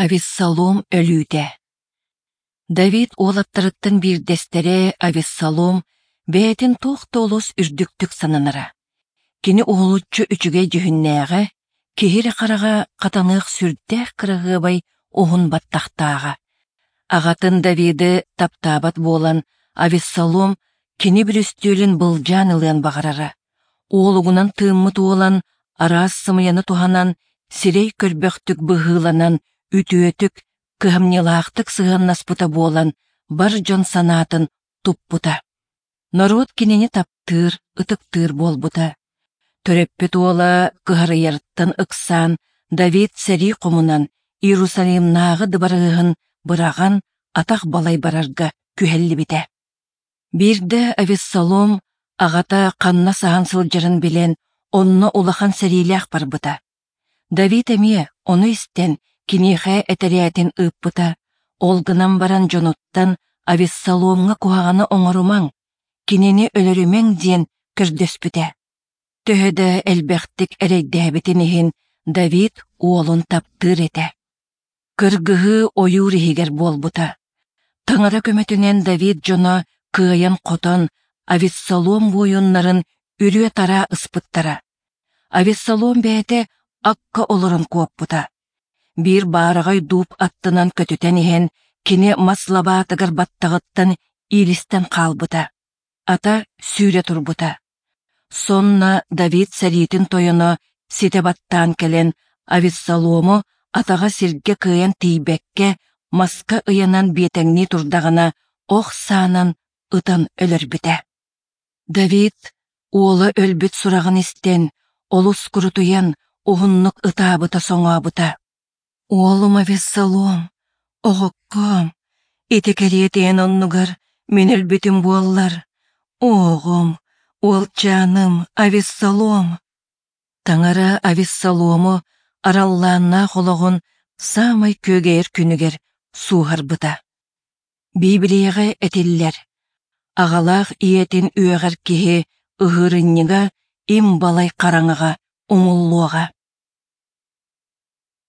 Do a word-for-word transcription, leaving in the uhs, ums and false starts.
Авессалом өлүүтэ. Давид уолаттарыттан биирдэстэрэ Авессалом бэйэтин туох да олус үрдүктүк сананара. Кини уһулуччу үчүгэй дьүһүннээҕэ, киһи эрэ хараҕа хатаныах сүрдээх кыраһыабай уһун баттахтааҕа. Аҕатын Давиды таптаабат буолан, Авессалом кини бүрүстүөлүн былдьаан ылыан баҕарара. Уолугунан тыыммыт уолан, араас сымыйаны туһанан, сирэй көрбөхтүк быһыыланан, үтүөтүк, кыһамньылаахтык сыһыаннаспыта буолан, бар дьон санаатын туппута. Норуот кинини таптыыр, ытыктыыр буолбута. Төрөппүт уола кыһарыйарыттан ыксаан, Давид сэрии хомунан, Иерусалимнааҕы дыбарыаһын быраҕан, атах балай барарга күһэллибитэ. Биирдэ Авессалом аҕата ханна саһан сылдьарын билэн, онно улахан сэриилээх барбыта. Давид эмиэ ону истэн, киниэхэ этэрээтин ыыппыта, ол гынан баран дьонуттан Авессаломҥа куһаҕаны оҥорумаҥ, кинини өлөрүмэҥ диэн көрдөспүтэ. Төһө да элбэхтик эрэйдээбитин иһин Давид уолун таптыыр этэ. Кыргыһыы ойуур иһигэр буолбута. Таҥара көмөтүнэн Давид дьоно кыайан-хотон Авессалом буойуннарын үрүө-тараа ыспыттара. Авессалом бэйэтэ акка олорон куоппута. Биир баараҕай дууп аттынан көтүтэн иһэн, кини мас лабаатыгар баттаҕыттан иилистэн хаалбыта. Ата сүүрэ турбута. Сонно Давид сэриитин тойоно ситэ баттаан кэлэн, Авессалому атаҕа сиргэ кыайан тиийбэккэ, маска ыйанан биэтэҥнии турдаҕына, ох саанан ытан өлөрбүтэ. Давид уола өлбүт сураҕын истэн, олус курутуйан, уһуннук ытаабыта-соҥообута. Уолум Авессалом, оҕоккоом, ити кэриэтиэн оннугар мин өлбүтүм буоллар, оҕом, уолчааным Авессалом. Таҥара Авессалому араллааннаах олоҕун саамай күөгэйэр күнүгэр сууһарбыта. Библияҕа этиллэр: аҕалаах ийэтин үөҕэр киһи ыһыырынньыга им балай хараҥаҕа умуллуоҕа.